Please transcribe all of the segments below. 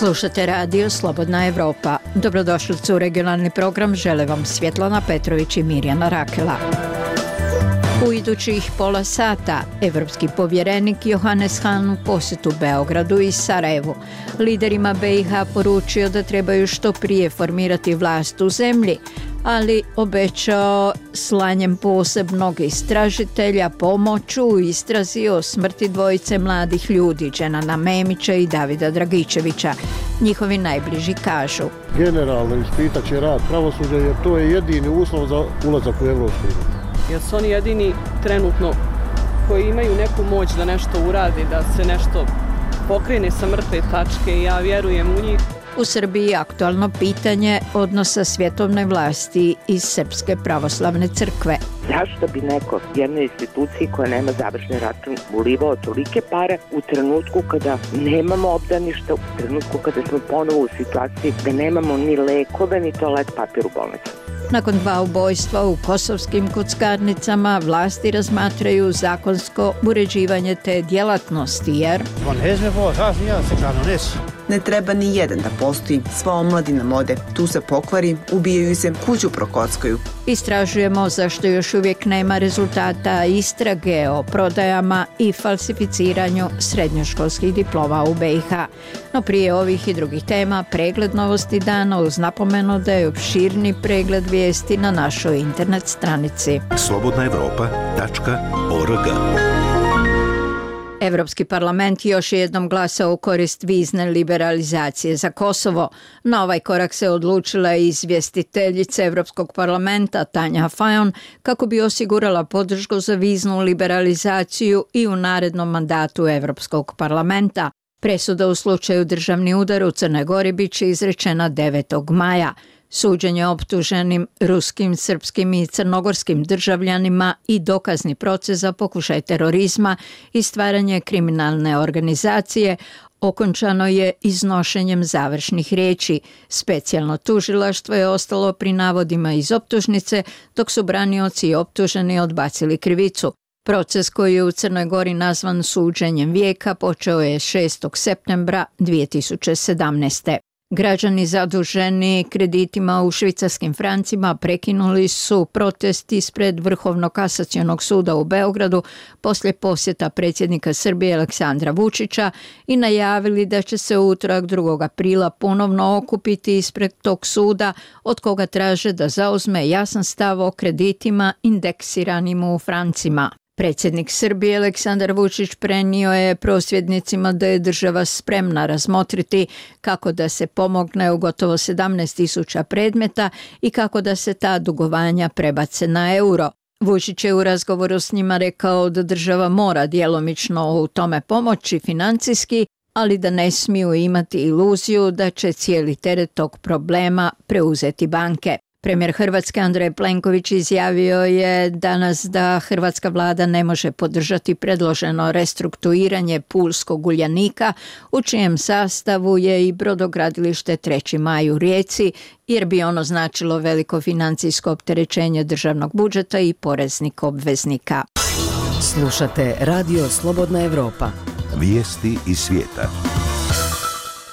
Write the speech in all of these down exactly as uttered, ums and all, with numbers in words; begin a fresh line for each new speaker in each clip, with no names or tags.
Slušate radio Slobodna Evropa. Dobrodošlicu u regionalni program žele vam Svjetlana Petrović i Mirjana Rakela. U idućih pola sata evropski povjerenik Johannes Hahn u posjetu Beogradu i Sarajevu. Liderima B i H poručio da trebaju što prije formirati vlast u zemlji, ali obećao slanjem posebnog istražitelja pomoć u istrazi o smrti dvojice mladih ljudi, Dženana Memića i Davida Dragičevića. Njihovi najbliži kažu:
generalno ispitat će rad pravosuđa jer to je jedini uslov za ulazak u Evropsku uniju.
Jer su oni jedini trenutno koji imaju neku moć da nešto uradi, da se nešto pokrene sa mrtve tačke i ja vjerujem u njih.
U Srbiji aktualno pitanje odnosa svjetovne vlasti i Srpske pravoslavne crkve.
Zašto bi neko jednoj instituciji koja nema završni račun ulivao tolike pare u trenutku kada nemamo obdaništa, u trenutku kada smo ponovo u situaciji da nemamo ni lekove ni toalet papir u bolnici?
Nakon dva ubojstva u kosovskim kockarnicama vlasti razmatraju zakonsko uređivanje te djelatnosti jer
ne treba ni jedan da postoji, sva omladina mode, tu se pokvari, ubijaju se, kuću prokockaju.
Istražujemo zašto još uvijek nema rezultata istrage o prodajama i falsificiranju srednjoškolskih diploma u B i H. No prije ovih i drugih tema pregled novosti dana uz napomenu da je opširni pregled vijesti na našoj internet stranici
slobodna evropa tačka org.
Evropski parlament još je jednom glasao u korist vizne liberalizacije za Kosovo. Na ovaj korak se odlučila i izvjestiteljica Evropskog parlamenta Tanja Fajon kako bi osigurala podršku za viznu liberalizaciju i u narednom mandatu Evropskog parlamenta. Presuda u slučaju državni udar u Crnoj Gori bit će izrečena devetog maja. Suđenje optuženim ruskim, srpskim i crnogorskim državljanima i dokazni proces za pokušaj terorizma i stvaranje kriminalne organizacije okončano je iznošenjem završnih riječi. Specijalno tužilaštvo je ostalo pri navodima iz optužnice, dok su branioci i optuženi odbacili krivicu. Proces koji je u Crnoj Gori nazvan suđenjem vijeka počeo je šestog septembra dvije tisuće sedamnaeste. Građani zaduženi kreditima u švicarskim francima prekinuli su protest ispred Vrhovnog kasacionog suda u Beogradu poslije posjeta predsjednika Srbije Aleksandra Vučića i najavili da će se u utorak drugog aprila ponovno okupiti ispred tog suda, od koga traže da zauzme jasan stav o kreditima indeksiranim u francima. Predsjednik Srbije Aleksandar Vučić prenio je prosvjednicima da je država spremna razmotriti kako da se pomogne u gotovo sedamnaest tisuća predmeta i kako da se ta dugovanja prebace na euro. Vučić je u razgovoru s njima rekao da država mora djelomično u tome pomoći financijski, ali da ne smiju imati iluziju da će cijeli teret tog problema preuzeti banke. Premijer Hrvatske Andrej Plenković izjavio je danas da hrvatska vlada ne može podržati predloženo restrukturiranje Pulskog Uljanika, u čijem sastavu je i brodogradilište Treći maj u Rijeci, jer bi ono značilo veliko financijsko opterećenje državnog budžeta i poreznih obveznika.
Slušate radio Slobodna Evropa.
Vijesti iz svijeta.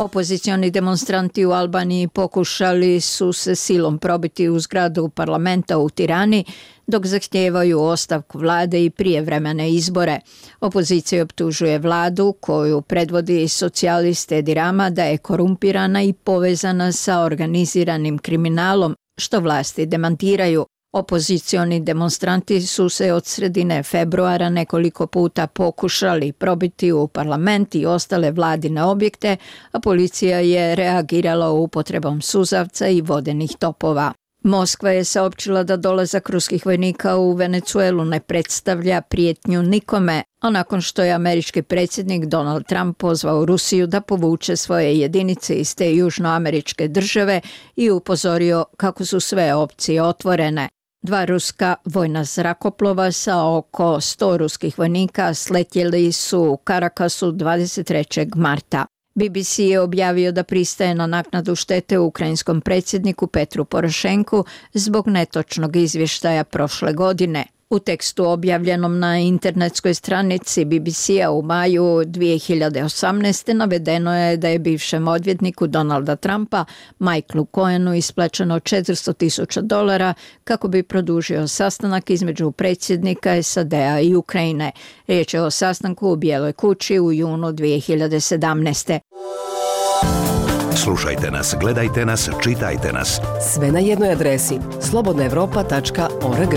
Opozicioni demonstranti u Albaniji pokušali su se silom probiti u zgradu parlamenta u Tirani, dok zahtijevaju ostavku vlade i prijevremene izbore. Opozicija optužuje vladu, koju predvodi socijalist Edi Rama, da je korumpirana i povezana sa organiziranim kriminalom, što vlasti demantiraju. Opozicioni demonstranti su se od sredine februara nekoliko puta pokušali probiti u parlament i ostale vladine objekte, a policija je reagirala upotrebom suzavca i vodenih topova. Moskva je saopćila da dolazak ruskih vojnika u Venecuelu ne predstavlja prijetnju nikome, a nakon što je američki predsjednik Donald Trump pozvao Rusiju da povuče svoje jedinice iz te južnoameričke države i upozorio kako su sve opcije otvorene. Dva ruska vojna zrakoplova sa oko sto ruskih vojnika sletjeli su u Karakasu dvadeset trećeg marta. B B C je objavio da pristaje na naknadu štete ukrajinskom predsjedniku Petru Porošenku zbog netočnog izvještaja prošle godine. U tekstu objavljenom na internetskoj stranici B B C-a u maju dvije hiljade osamnaeste. navedeno je da je bivšem odvjetniku Donalda Trumpa, Michaelu Cohenu, isplaćeno četiristo tisuća dolara kako bi produžio sastanak između predsjednika S A D-a i Ukrajine. Riječ je o sastanku u Bijeloj kući u junu dvije hiljade sedamnaeste.
Slušajte nas, gledajte nas, čitajte nas.
Sve na jednoj adresi slobodna europa tačka org.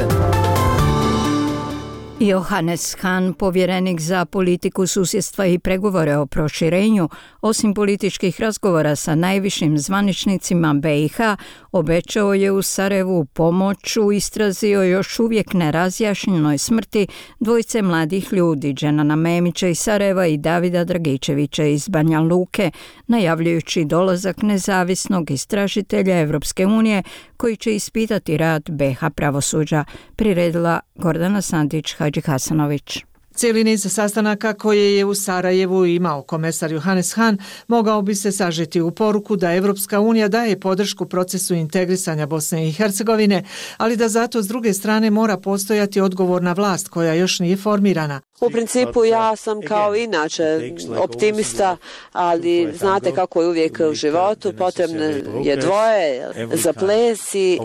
Johannes Hahn, povjerenik za politiku susjedstva i pregovore o proširenju, osim političkih razgovora sa najvišim zvaničnicima B i H, obećao je u Sarajevu pomoć u istrazi o još uvijek nerazjašnjenoj smrti dvojice mladih ljudi, Dženana Memića iz Sarajeva i Davida Dragičevića iz Banja Luke, najavljujući dolazak nezavisnog istražitelja Evropske unije koji će ispitati rad B H pravosuđa, priredila Gordana Sandić Hadžihasanović.
Cijeli niz sastanaka koje je u Sarajevu imao komesar Johannes Hahn mogao bi se sažeti u poruku da Evropska unija daje podršku procesu integrisanja Bosne i Hercegovine, ali da zato s druge strane mora postojati odgovorna vlast koja još nije formirana.
U principu ja sam kao inače optimista, ali znate kako je uvijek u životu, potrebno je dvoje za ples i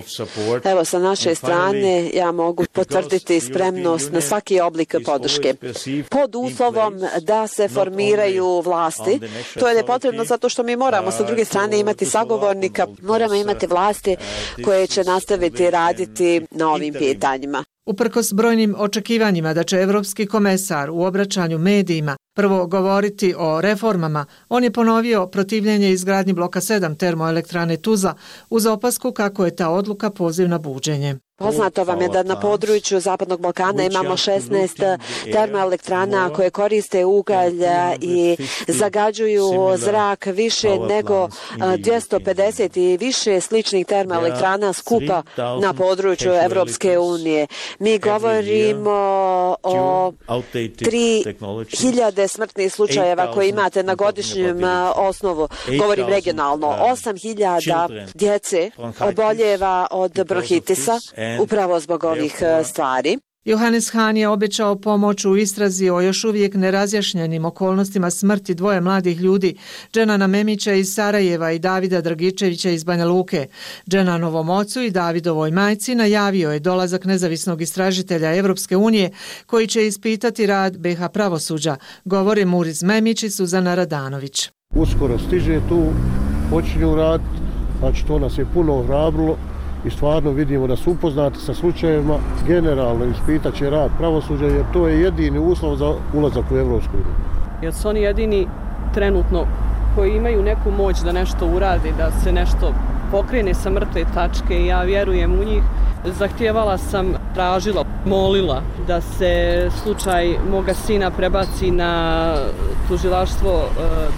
evo sa naše strane ja mogu potvrditi spremnost na svaki oblik podrške. Pod uslovom da se formiraju vlasti, to je potrebno zato što mi moramo sa druge strane imati sagovornika, moramo imati vlasti koje će nastaviti raditi na ovim pitanjima.
Uprkos brojnim očekivanjima da će evropski komesar u obraćanju medijima prvo govoriti o reformama, on je ponovio protivljenje izgradnji bloka sedam termoelektrane Tuzla uz opasku kako je ta odluka poziv na buđenje.
Poznato vam je da na području Zapadnog Balkana imamo šesnaest termoelektrana koje koriste ugalj i zagađuju zrak više nego dvjesto pedeset i više sličnih termoelektrana skupa na području Evropske unije. Mi govorimo o tri hiljade smrtnih slučajeva koje imate na godišnjem osnovu. Govorim regionalno. osam hiljada djece oboljeva od bronhitisa upravo zbog ovih stvari.
Johannes Hahn je obećao pomoć u istrazi o još uvijek nerazjašnjenim okolnostima smrti dvoje mladih ljudi, Dženana Memića iz Sarajeva i Davida Dragičevića iz Banja Luke. Dženanovom ocu i Davidovoj majci najavio je dolazak nezavisnog istražitelja Evropske unije koji će ispitati rad B H pravosuđa, govore Muriz Memić i Suzana Radanović.
Uskoro stiže tu, počinju raditi, znači to nas je puno ohrabrilo i stvarno vidimo da su upoznati sa slučajevima, generalno ispitat će rad pravosuđa jer to je jedini uslov za ulazak u Evropsku uniju.
Jer su oni jedini trenutno koji imaju neku moć da nešto uradi, da se nešto pokrene sa mrtve tačke i ja vjerujem u njih. Zahtijevala sam, tražila, molila da se slučaj moga sina prebaci na tužilaštvo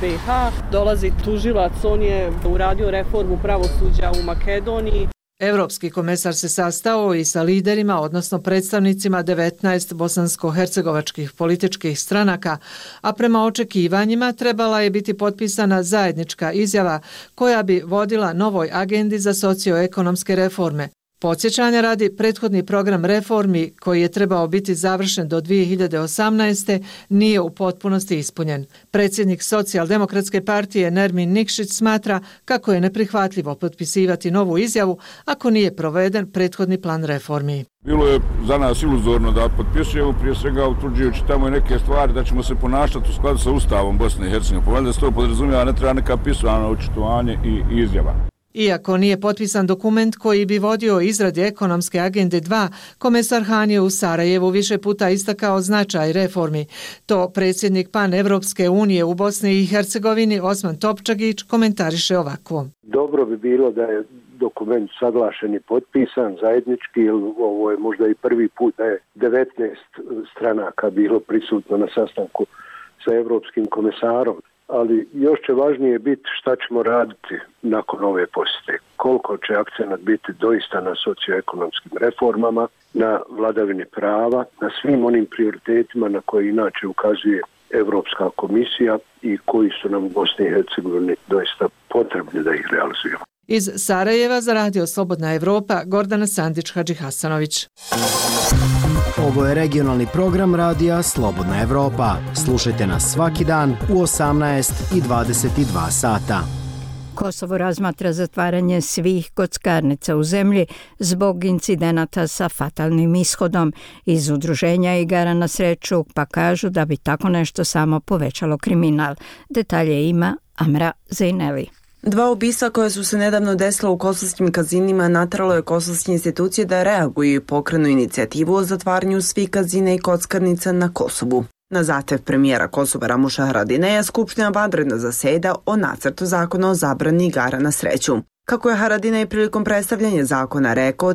B i H. Dolazi tužilac, on je uradio reformu pravosuđa u Makedoniji.
Evropski komesar se sastao i sa liderima, odnosno predstavnicima devetnaest bosansko-hercegovačkih političkih stranaka, a prema očekivanjima trebala je biti potpisana zajednička izjava koja bi vodila novoj agendi za socioekonomske reforme. Podsjećanja radi, prethodni program reformi koji je trebao biti završen do dvije hiljade osamnaeste. nije u potpunosti ispunjen. Predsjednik Socijaldemokratske partije Nermin Nikšić smatra kako je neprihvatljivo potpisivati novu izjavu ako nije proveden prethodni plan reformi.
Bilo je za nas iluzorno da potpisujemo, prije svega utvrđujući tamo neke stvari da ćemo se ponašati u skladu sa Ustavom Bosne i Hercegovine. Pa valjda se to podrazumijeva, ne treba neka pisana očitovanje i izjava.
Iako nije potpisan dokument koji bi vodio izradi ekonomske agende dva, komesar Hahn je u Sarajevu više puta istakao značaj reformi. To predsjednik Pan-Evropske unije u Bosni i Hercegovini Osman Topčagić komentariše ovako.
Dobro bi bilo da je dokument saglašen i potpisan zajednički, jer ovo je možda i prvi put da je devetnaest stranaka bilo prisutno na sastanku sa Evropskim komesarom. Ali još će važnije biti šta ćemo raditi nakon ove posjete. Koliko će akcenat biti doista na socioekonomskim reformama, na vladavini prava, na svim onim prioritetima na koje inače ukazuje Evropska komisija i koji su nam u Bosni i Hercegovini doista potrebni da ih realizujemo.
Iz Sarajeva za Radio Slobodna Evropa, Gordana Sandić-Hadžihasanović.
Ovo je regionalni program Radija Slobodna Evropa. Slušajte nas svaki dan u osamnaest i dvadeset dva sata.
Kosovo razmatra zatvaranje svih kockarnica u zemlji zbog incidenata sa fatalnim ishodom. Iz udruženja igara na sreću pa kažu da bi tako nešto samo povećalo kriminal. Detalje ima Amra Zejneli.
Dva ubistva koja su se nedavno desila u kosovskim kazinima nateralo je kosovske institucije da reaguju i pokrenu inicijativu o zatvaranju svih kazina i kockarnica na Kosovu. Na zahtev premijera Kosova Ramuša Haradinaja, Skupština vanredno zaseda o nacrtu zakona o zabrani igara na sreću. Kako je Haradinaj prilikom predstavljanja zakona rekao,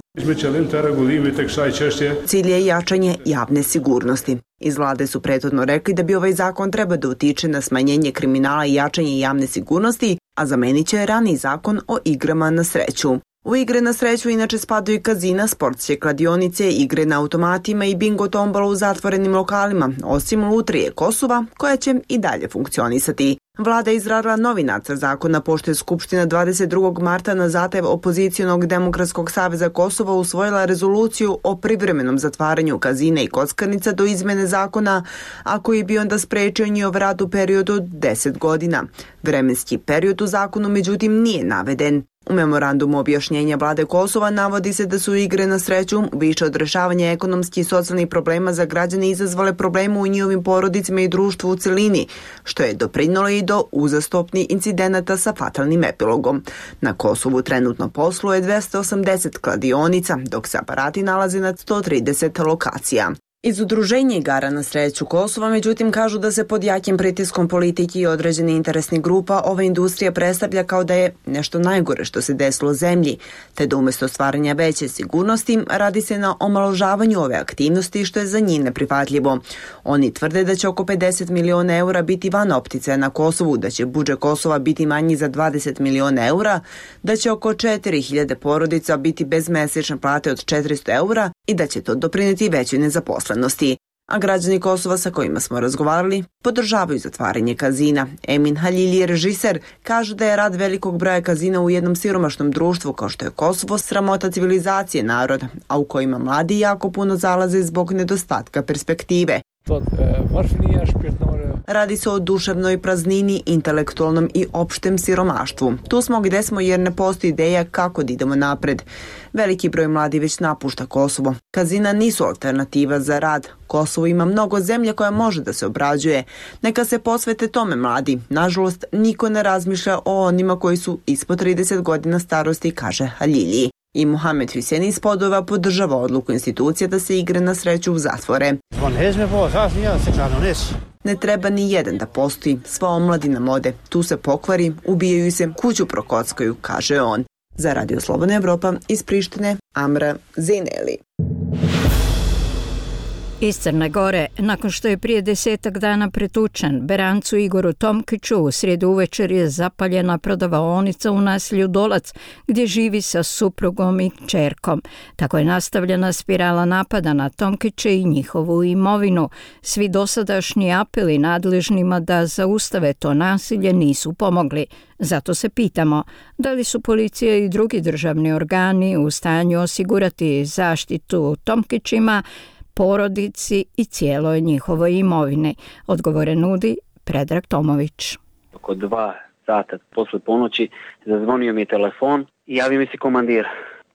cilj je jačanje javne sigurnosti. Iz vlade su prethodno rekli da bi ovaj zakon treba da utiče na smanjenje kriminala i jačanje javne sigurnosti, a zamenit će raniji zakon o igrama na sreću. U igre na sreću inače spadaju i kazina, sportske kladionice, igre na automatima i bingo tombola u zatvorenim lokalima, osim lutrije Kosova, koja će i dalje funkcionisati. Vlada je izradila novi nacrt zakona pošto je Skupština dvadeset drugog marta na zahtev Opozicijonog demokratskog saveza Kosova usvojila rezoluciju o privremenom zatvaranju kazina i kockarnica do izmene zakona, a koji bi onda sprečio njihov rad u periodu od deset godina. Vremenski period u zakonu međutim nije naveden. U memorandumu objašnjenja vlade Kosova navodi se da su igre na sreću više od rešavanja ekonomskih i socijalnih problema za građane izazvale probleme u njihovim porodicama i društvu u celini, što je doprinjelo i do uzastopnih incidenata sa fatalnim epilogom. Na Kosovu trenutno posluje dvesta osamdeset kladionica, dok se aparati nalaze na sto trideset lokacija. Iz udruženja igara na sreću Kosova međutim kažu da se pod jakim pritiskom politike i određenih interesnih grupa ova industrija predstavlja kao da je nešto najgore što se desilo zemlji, te da umjesto stvaranja veće sigurnosti radi se na omaložavanju ove aktivnosti što je za njih neprihvatljivo. Oni tvrde da će oko pedeset miliona eura biti van opticaja na Kosovu, da će budžet Kosova biti manji za dvadeset miliona eura, da će oko četiri hiljade porodica biti bez mesečne plate od četiristo eura i da će to doprinijeti većoj nezaposlenosti. A građani Kosova sa kojima smo razgovarali podržavaju zatvaranje kazina. Emin Halili, režiser, kaže da je rad velikog broja kazina u jednom siromašnom društvu kao što je Kosovo sramota civilizacije naroda, a u kojima mladi jako puno zalaze zbog nedostatka perspektive. Radi se o duševnoj praznini, intelektualnom i opštem siromaštvu. Tu smo gde smo jer ne postoji ideja kako da idemo napred. Veliki broj mladi već napušta Kosovo. Kazina nisu alternativa za rad. Kosovo ima mnogo zemlje koja može da se obrađuje. Neka se posvete tome mladi. Nažalost, niko ne razmišlja o onima koji su ispod trideset godina starosti, kaže Halili. I Mohamed Hussein iz Podova podržava odluku institucija da se igre na sreću zatvore. Ne treba ni jedan da postoji, sva omladina mode. Tu se pokvari, ubijaju se, kuću prokockaju, kaže on. Za Radio Slobodna Evropa iz Prištine, Amra Zejneli.
Iz Crne Gore, nakon što je prije desetak dana pretučen, Berancu Igoru Tomkiću u srijedu uvečer je zapaljena prodavaonica u naselju Dolac, gdje živi sa suprugom i kćerkom. Tako je nastavljena spirala napada na Tomkiće i njihovu imovinu. Svi dosadašnji apeli nadležnima da zaustave to nasilje nisu pomogli. Zato se pitamo, da li su policija i drugi državni organi u stanju osigurati zaštitu Tomkićima, porodici i cijeloj njihovoj imovini. Odgovore nudi Predrag Tomović.
Oko dva sata posle ponoći zazvonio mi je telefon i javio mi se komandir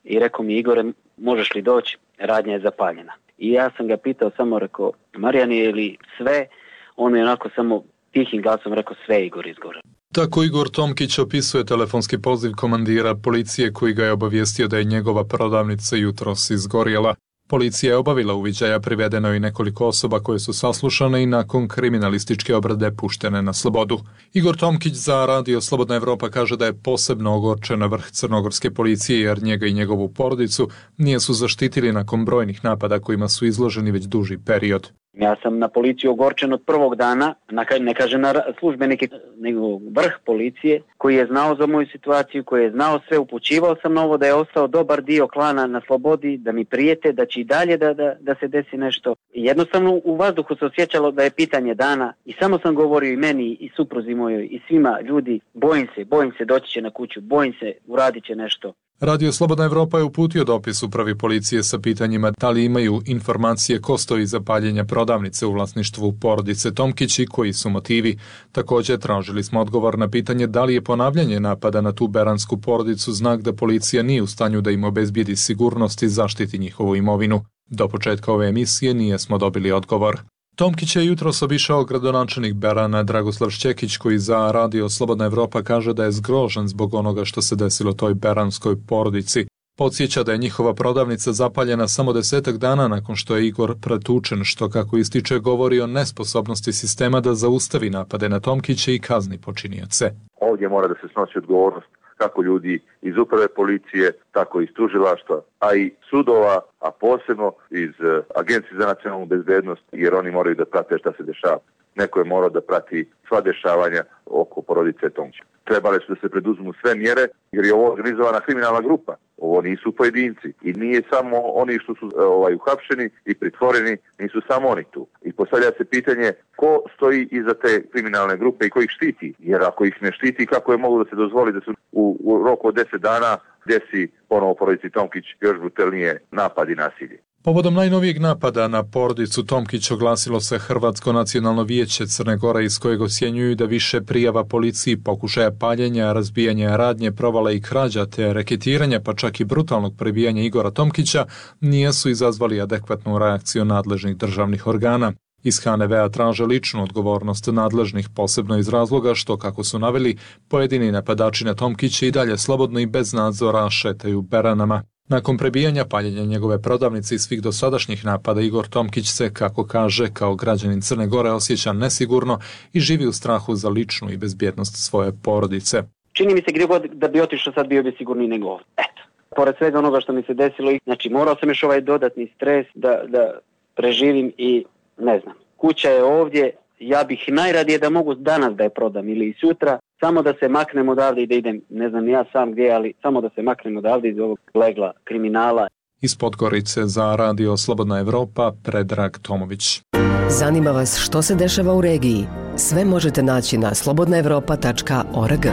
i rekao mi: Igore, možeš li doći? Radnja je zapaljena. I ja sam ga pitao, samo rekao: Marijan, je li sve? On mi je onako samo tihim glasom rekao: sve, Igor, izgore.
Tako Igor Tomkić opisuje telefonski poziv komandira policije koji ga je obavijestio da je njegova prodavnica jutros izgorjela. Policija je obavila uviđaja, privedeno i nekoliko osoba koje su saslušane i nakon kriminalističke obrade puštene na slobodu. Igor Tomkić za Radio Slobodna Evropa kaže da je posebno ogorčen na vrh crnogorske policije jer njega i njegovu porodicu nije su zaštitili nakon brojnih napada kojima su izloženi već duži period.
Ja sam na policiju ogorčen od prvog dana, ne kažem na službenike, nego vrh policije koji je znao za moju situaciju, koji je znao sve, upućivao sam na ovo da je ostao dobar dio klana na slobodi, da mi prijete, da će i dalje da, da, da se desi nešto. Jednostavno u vazduhu se osjećalo da je pitanje dana i samo sam govorio i meni i supruzi mojoj i svima ljudi, bojim se, bojim se, doći će na kuću, bojim se, uradit će nešto.
Radio Slobodna Evropa je uputio dopis upravi policije sa pitanjima da li imaju informacije ko stoji iza paljenja prodavnice u vlasništvu porodice Tomkić i koji su motivi. Također tražili smo odgovor na pitanje da li je ponavljanje napada na tu beransku porodicu znak da policija nije u stanju da im obezbijedi sigurnost i zaštiti njihovu imovinu. Do početka ove emisije nije smo dobili odgovor. Tomkić je jutros obišao gradonačelnik Berana Dragoslav Šćekić koji za Radio Slobodna Evropa kaže da je zgrožen zbog onoga što se desilo toj beranskoj porodici. Podsjeća da je njihova prodavnica zapaljena samo desetak dana nakon što je Igor pretučen, što kako ističe govori o nesposobnosti sistema da zaustavi napade na Tomkića i kazni počinioce.
Ovdje mora da se snosi odgovornost kako ljudi iz uprave policije, tako i iz tužilaštva, a i sudova, a posebno iz Agencije za nacionalnu bezbednost, jer oni moraju da prate šta se dešava. Neko je morao da prati sva dešavanja oko porodice Tomkić. Trebale su da se preduzmu sve mjere, jer je ovo organizovana kriminalna grupa. Ovo nisu pojedinci i nije samo oni što su ovaj, uhapšeni i pritvoreni, nisu samo oni tu. I postavlja se pitanje ko stoji iza te kriminalne grupe i ko ih štiti. Jer ako ih ne štiti, kako je mogu da se dozvoli da su u, u roku od deset dana desi ponovo porodici Tomkić još brutalnije napad i nasilje.
Povodom najnovijeg napada na porodicu Tomkić oglasilo se Hrvatsko nacionalno vijeće Crne Gore iz kojeg ocjenjuju da više prijava policiji, pokušaja paljenja, razbijanja radnje, provale i krađa te reketiranja pa čak i brutalnog prebijanja Igora Tomkića nisu izazvali adekvatnu reakciju nadležnih državnih organa. Iz H N V-a traže ličnu odgovornost nadležnih posebno iz razloga što, kako su naveli, pojedini napadači na Tomkića i dalje slobodno i bez nadzora šetaju beranama. Nakon prebijanja paljenja njegove prodavnice i svih dosadašnjih napada, Igor Tomkić se, kako kaže, kao građanin Crne Gore osjeća nesigurno i živi u strahu za ličnu i bezbjednost svoje porodice.
Čini mi se gdje god da bi otišao sad bio bi sigurniji nego ovdje. Eto. Pored svega onoga što mi se desilo, znači morao sam još ovaj dodatni stres da, da preživim i ne znam. Kuća je ovdje, ja bih najradije da mogu danas da je prodam ili i sutra, samo da se maknem odavde i da idem, ne znam ja sam gdje, ali samo da se maknem odavde iz ovog legla kriminala.
Iz Podgorice za Radio Slobodna Evropa, Predrag Tomović.
Zanima vas što se dešava u regiji? Sve možete naći na slobodna evropa tačka org.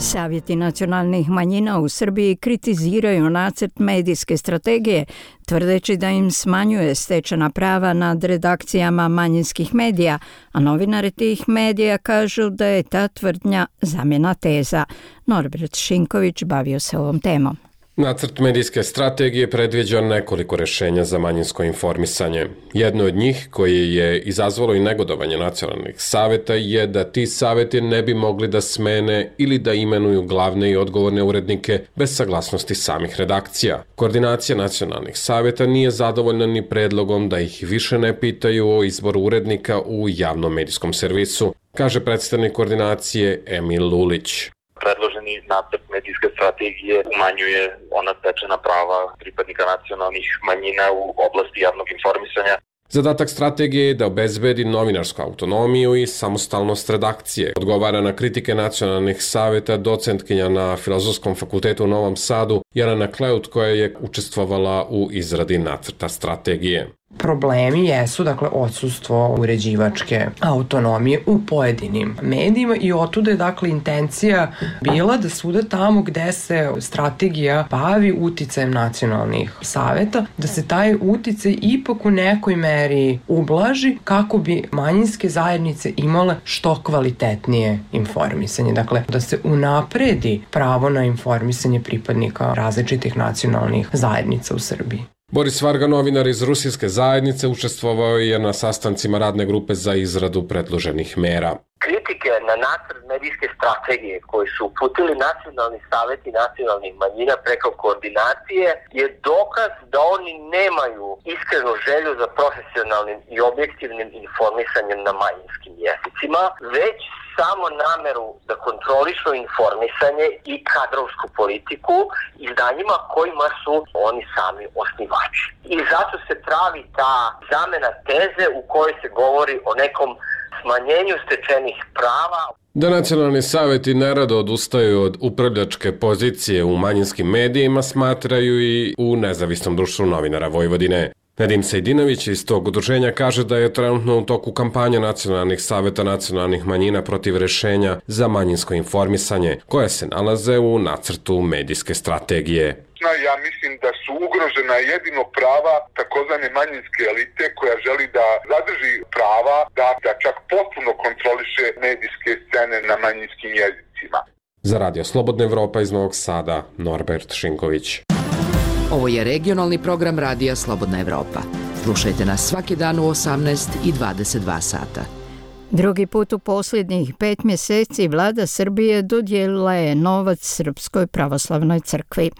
Savjeti nacionalnih manjina u Srbiji kritiziraju nacrt medijske strategije, tvrdeći da im smanjuje stečena prava nad redakcijama manjinskih medija, a novinari tih medija kažu da je ta tvrdnja zamjena teza. Norbert Šinković bavio se ovom temom.
Nacrt medijske strategije predviđa nekoliko rješenja za manjinsko informisanje. Jedno od njih, koje je izazvalo i negodovanje nacionalnih savjeta, je da ti savjeti ne bi mogli da smene ili da imenuju glavne i odgovorne urednike bez saglasnosti samih redakcija. Koordinacija nacionalnih savjeta nije zadovoljna ni predlogom da ih više ne pitaju o izboru urednika u javnom medijskom servisu, kaže predstavnik koordinacije Emil Lulić.
Predloženi nacrt medijske strategije umanjuje ona stečena prava pripadnika nacionalnih manjina u oblasti javnog informisanja.
Zadatak strategije je da obezbedi novinarsku autonomiju i samostalnost redakcije. Odgovara na kritike nacionalnih savjeta docentkinja na Filozofskom fakultetu u Novom Sadu Jelena Kleut, koja je učestvovala u izradi nacrta strategije.
Problemi jesu, dakle, odsustvo uređivačke autonomije u pojedinim medijima i otuda je, dakle, intencija bila da svuda tamo gde se strategija bavi uticajem nacionalnih savjeta, da se taj uticaj ipak u nekoj meri ublaži kako bi manjinske zajednice imale što kvalitetnije informisanje. Dakle, da se unapredi pravo na informisanje pripadnika različitih nacionalnih zajednica u Srbiji.
Boris Varga, novinar iz Rusijske zajednice, učestvovao je na sastancima radne grupe za izradu predloženih mera.
kritike na nacrt medijske strategije koji su uputili nacionalni saveti nacionalnih manjina preko koordinacije je dokaz da oni nemaju iskrenu želju za profesionalnim i objektivnim informisanjem na manjinskim jezicima, već samo nameru da kontrolišu informisanje i kadrovsku politiku izdanjima kojima su oni sami osnivači. I zato se pravi ta zamena teze u kojoj se govori o nekom smanjenju stečenih prava.
Da nacionalni saveti nerado odustaju od upravljačke pozicije u manjinskim medijima smatraju i u Nezavisnom društvu novinara Vojvodine. Nedim Sejdinović iz tog udruženja kaže da je trenutno u toku kampanja nacionalnih saveta nacionalnih manjina protiv rešenja za manjinsko informisanje, koje se nalaze u nacrtu medijske strategije.
Ja mislim da su ugrožena jedino prava takozvane manjinske elite koja želi da zadrži prava da, da čak potpuno kontroliše medijske scene na manjinskim jezicima.
Za Radio Slobodna Evropa iz Novog Sada, Norbert Šinković.
Ovo je regionalni program Radija Slobodna Evropa. Slušajte nas svaki dan u osamnaest i dvadeset dva sata.
Drugi put u posljednjih pet mjeseci vlada Srbije dodijelila je novac Srpskoj pravoslavnoj crkvi.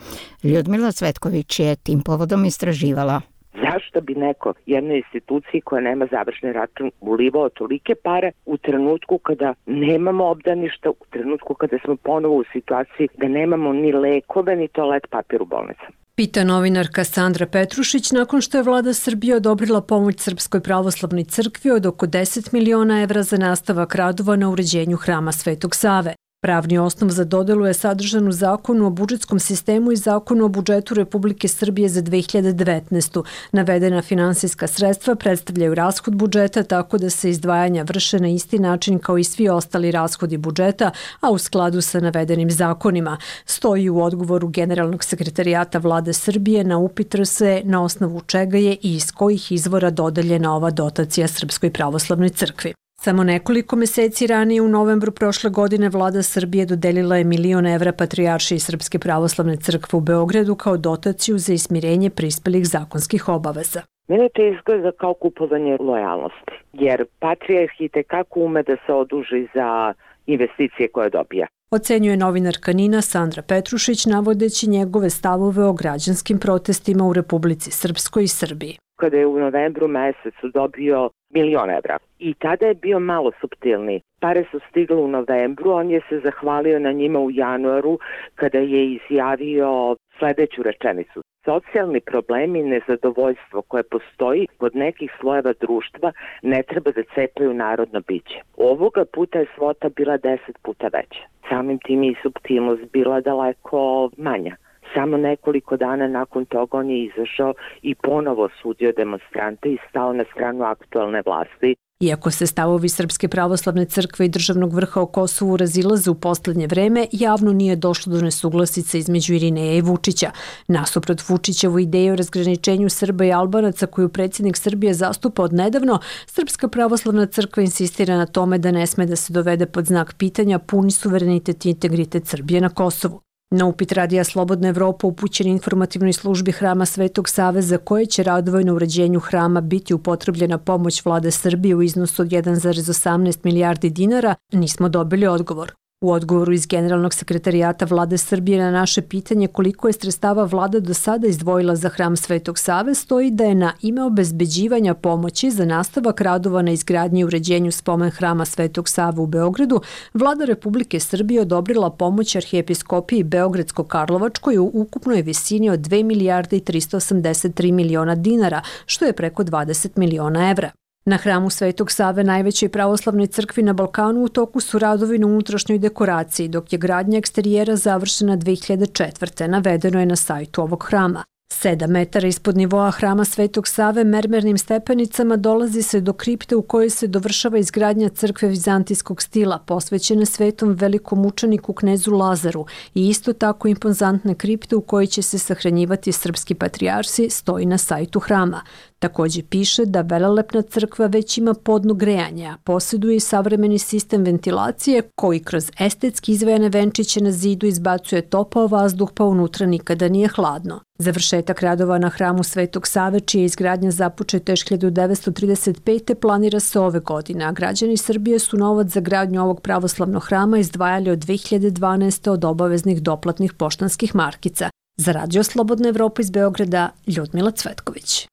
Ljudmila Cvetković je tim povodom istraživala.
Zašto bi neko jednoj instituciji koja nema završni račun ulivao tolike pare u trenutku kada nemamo obdaništa, u trenutku kada smo ponovo u situaciji da nemamo ni lekove ni toalet papir u bolnicama?
Pita novinarka Sandra Petrušić nakon što je vlada Srbije odobrila pomoć Srpskoj pravoslavnoj crkvi od oko deset miliona evra za nastavak radova na uređenju hrama Svetog Save. Pravni osnov za dodelu je sadržan u Zakonu o budžetskom sistemu i Zakonu o budžetu Republike Srbije za dve hiljade devetnaestu. Navedena finansijska sredstva predstavljaju rashod budžeta tako da se izdvajanja vrše na isti način kao i svi ostali rashodi budžeta, a u skladu sa navedenim zakonima. Stoji u odgovoru Generalnog sekretarijata vlade Srbije na upit R S E na osnovu čega je i iz kojih izvora dodeljena ova dotacija Srpskoj pravoslavnoj crkvi. Samo nekoliko meseci ranije u novembru prošle godine vlada Srbije dodelila je milion evra Patrijaršiji Srpske pravoslavne crkve u Beogradu kao dotaciju za ismirenje prispelih zakonskih obaveza.
Mene to izgleda kao kupovanje lojalnosti, jer Patrijarh i tekako ume da se oduži za investicije koje dobija.
Ocenjuje novinarka Nina Sandra Petrušić navodeći njegove stavove o građanskim protestima u Republici Srpskoj i Srbiji.
Kada je u novembru mesecu dobio milion evra. I tada je bio malo suptilni. Pare su stigle u novembru, on je se zahvalio na njima u januaru kada je izjavio sledeću rečenicu. Socijalni problemi i nezadovoljstvo koje postoji kod nekih slojeva društva ne treba da cepaju narodno biće. Ovoga puta je svota bila deset puta veća. Samim tim i suptilnost bila daleko manja. Samo nekoliko dana nakon toga on je izašao i ponovo sudio demonstrante i stao na stranu aktualne vlasti.
Iako se stavovi Srpske pravoslavne crkve i državnog vrha o Kosovu razilaze u poslednje vreme, javno nije došlo do nesuglasica između Irineja i Vučića. Nasuprot Vučićevu ideju o razgraničenju Srba i Albanaca koju predsjednik Srbije zastupa od nedavno, Srpska pravoslavna crkva insistira na tome da ne sme da se dovede pod znak pitanja puni suverenitet i integritet Srbije na Kosovu. Na upit Radija Slobodna Evropa upućen informativnoj službi Hrama Svetog Save za koje će radovoj na uređenju hrama biti upotrebljena pomoć vlade Srbije u iznosu od jedan zarez osamnaest milijardi dinara, nismo dobili odgovor. U odgovoru iz Generalnog sekretarijata vlade Srbije na naše pitanje koliko je sredstava vlada do sada izdvojila za Hram Svetog Save stoji da je na ime obezbeđivanja pomoći za nastavak radova na izgradnji i uređenju spomen Hrama Svetog Save u Beogradu vlada Republike Srbije odobrila pomoć arhijepiskopiji Beogradsko-Karlovačkoj u ukupnoj visini od dve milijarde i tristo osamdeset tri miliona dinara, što je preko dvadeset miliona evra. Na Hramu Svetog Save, najvećoj pravoslavnoj crkvi na Balkanu, u toku su radovi na unutrašnjoj dekoraciji, dok je gradnja eksterijera završena dve hiljade četvrte. Navedeno je na sajtu ovog hrama. Sedam metara ispod nivoa Hrama Svetog Save mermernim stepenicama dolazi se do kripte u kojoj se dovršava izgradnja crkve vizantijskog stila, posvećene svetom velikom mučeniku knezu Lazaru i isto tako impozantne kripte u kojoj će se sahranjivati srpski patrijarsi stoji na sajtu hrama. Takođe piše da velelepna crkva već ima podno grejanje, a posjeduje i savremeni sistem ventilacije koji kroz estetski izvojene venčiće na zidu izbacuje topao vazduh pa unutra nikada nije hladno. Završetak radova na hramu Svetog Save, čija je izgradnja započeta još hiljadu devetsto trideset pete. planira se ove godine, a građani Srbije su novac za gradnju ovog pravoslavnog hrama izdvajali od dve hiljade dvanaeste. od obaveznih doplatnih poštanskih markica. Za Radio Slobodna Evropa iz Beograda, Ljudmila Cvetković.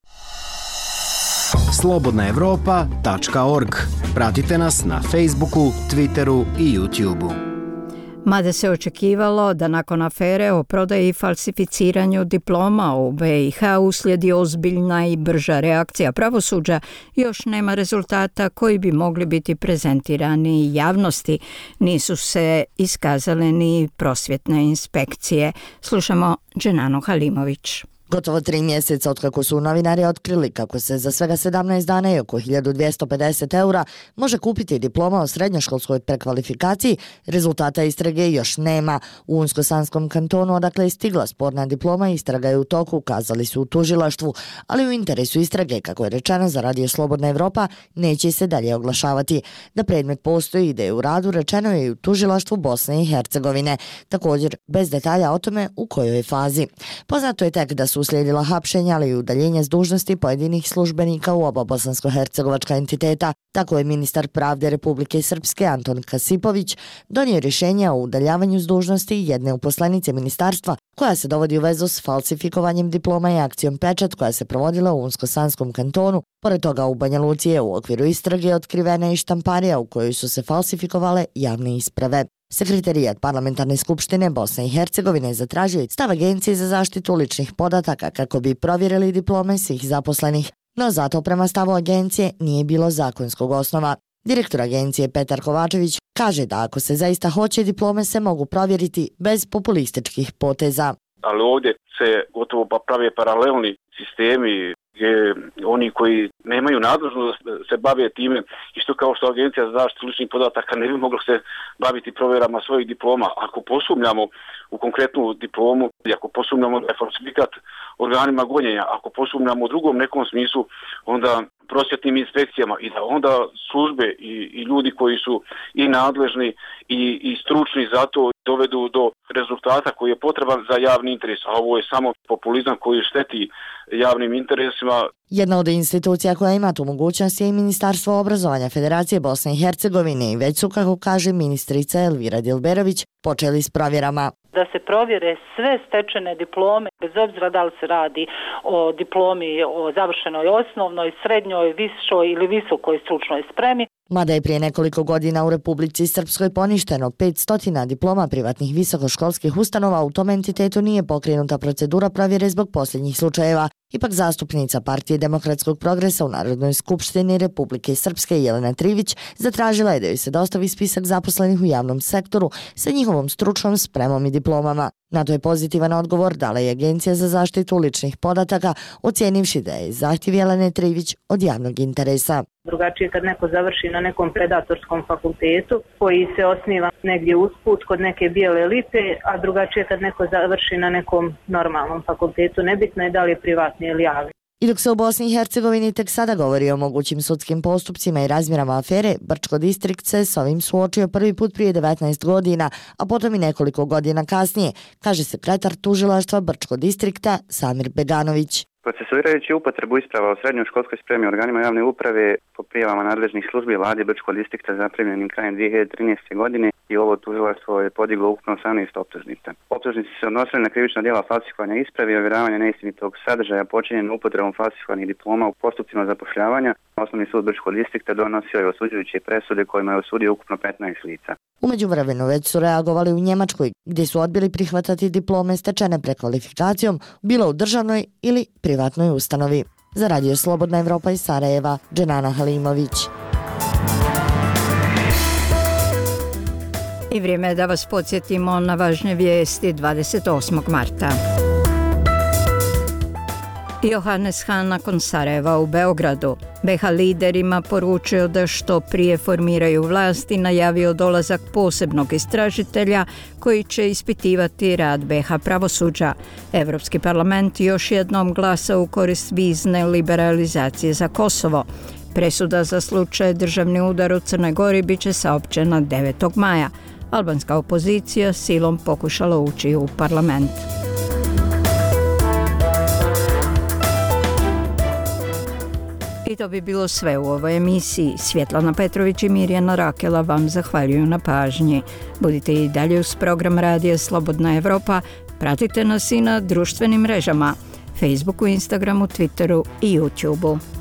slobodna evropa tačka org. Pratite nas na Facebooku, Twitteru i YouTubeu.
Mada se očekivalo da nakon afere o prodaji i falsificiranju diploma u B i H uslijedi ozbiljna i brža reakcija pravosuđa, još nema rezultata koji bi mogli biti prezentirani javnosti. Nisu se iskazale ni prosvjetne inspekcije. Slušamo Dženanu Halimović.
Gotovo tri mjeseca otkako su novinari otkrili kako se za svega sedamnaest dana i oko hiljadu dvjesto pedeset eura može kupiti diploma o srednjoškolskoj prekvalifikaciji, rezultata istrage još nema. U Unsko-Sanskom kantonu odakle je stigla sporna diploma, istraga je u toku, kazali su u tužilaštvu, ali u interesu istrage, kako je rečeno za Radio Slobodna Evropa, neće se dalje oglašavati. Da predmet postoji i da je u radu, rečeno je i u tužilaštvu Bosne i Hercegovine. Također, bez detalja o tome u kojoj je fazi. Poznato je tek da su uslijedila hapšenja, ali i udaljenje s dužnosti pojedinih službenika u oba bosansko-hercegovačka entiteta. Tako je ministar pravde Republike Srpske Anton Kasipović donio rješenje o udaljavanju s dužnosti jedne uposlenice ministarstva koja se dovodi u vezu s falsifikovanjem diploma i akcijom Pečat koja se provodila u Unsko-Sanskom kantonu. Pored toga u Banja Luci je u okviru istrage otkrivena i štamparija u kojoj su se falsifikovale javne isprave. Sekretarijat Parlamentarne skupštine Bosne i Hercegovine zatražio stav Agencije za zaštitu ličnih podataka kako bi provjerili diplome svih zaposlenih, no zato prema stavu agencije nije bilo zakonskog osnova. Direktor agencije Petar Kovačević kaže da ako se zaista hoće, diplome se mogu provjeriti bez populističkih poteza.
Ali ovdje se gotovo pa prave paralelni sistemi gdje oni koji nemaju nadležnost se bave time, isto kao što Agencija za zaštitu ličnih podataka ne bi mogla se baviti provjerama svojih diploma. Ako posumnjamo u konkretnu diplomu, ako posumnjamo da je falsifikat organima gonjenja, ako posumnjamo u drugom nekom smislu, onda prosvjetnim inspekcijama i da onda službe i, i ljudi koji su i nadležni i, i stručni za to dovedu do rezultata koji je potreban za javni interes, a ovo je samo populizam koji šteti javnim interesima.
Jedna od institucija koja ima tu mogućnost je i Ministarstvo obrazovanja Federacije Bosne i Hercegovine i već su, kako kaže ministrica Elvira Dilberović, počeli s provjerama.
Da se provjere sve stečene diplome, bez obzira da li se radi o diplomi o završenoj osnovnoj, srednjoj, višoj ili visokoj stručnoj spremi.
Mada je prije nekoliko godina u Republici Srpskoj poništeno petsto diploma privatnih visokoškolskih ustanova, u tom entitetu nije pokrenuta procedura provjere zbog posljednjih slučajeva. Ipak zastupnica Partije demokratskog progresa u Narodnoj skupštini Republike Srpske Jelena Trivić zatražila je da joj se dostavi spisak zaposlenih u javnom sektoru sa njihovom stručnom spremom i diplomama. Na to je pozitivan odgovor dala je Agencija za zaštitu ličnih podataka, ocijenivši da je zahtjev Jelene Trivić od javnog interesa.
Drugačije kad neko završi na nekom predatorskom fakultetu koji se osniva negdje usput kod neke bijele lipe, a drugačije kad neko završi na nekom normalnom fakultetu. Nebitno je da li je privatni ili javni.
I dok se u Bosni i Hercegovini tek sada govori o mogućim sudskim postupcima i razmjerama afere, Brčko distrikt se s ovim suočio prvi put prije devetnaest godina, a potom i nekoliko godina kasnije, kaže sekretar tužilaštva Brčko distrikta Samir Beganović.
Procesuirajući upotrebu isprava o srednjoj školskoj spremi organima javne uprave po prijavama nadležnih službi vlade Brčkog distrikta zaprimljenim krajem dvije hiljade trinaeste. godine i ovo tužilaštvo je podiglo ukupno osamnaest optužnica. Optužnice se odnosile na krivična djela falsifikovanja ispravi i ovjeravanja neistinitog sadržaja počinjen upotrebom falsifikovanih diploma u postupcima zapošljavanja. Osnovni sud Brčkog distrikta donosio je osuđujuće presude kojima je osudio ukupno petnaest lica.
U međuvremenu već su reagovali u Njemačkoj, gdje su odbili prihvatati diplome stečene prekvalifikacijom, bilo u državnoj ili privatnoj ustanovi. Za Radio Slobodna Evropa iz Sarajeva, Dženana Halimović.
I vrijeme je da vas podsjetimo na važne vijesti dvadeset osmog marta. Johannes Hahn nakon Sarajeva u Beogradu. be ha liderima poručio da što prije formiraju vlast i najavio dolazak posebnog istražitelja koji će ispitivati rad be ha pravosuđa. Evropski parlament još jednom glasa u korist vizne liberalizacije za Kosovo. Presuda za slučaj državni udar u Crnoj Gori bit će saopćena devetog maja. Albanska opozicija silom pokušala ući u parlament. I to bi bilo sve u ovoj emisiji. Svjetlana Petrović i Mirjana Rakela vam zahvaljuju na pažnji. Budite i dalje uz program Radija Slobodna Evropa. Pratite nas i na društvenim mrežama, Facebooku, Instagramu, Twitteru i YouTubeu.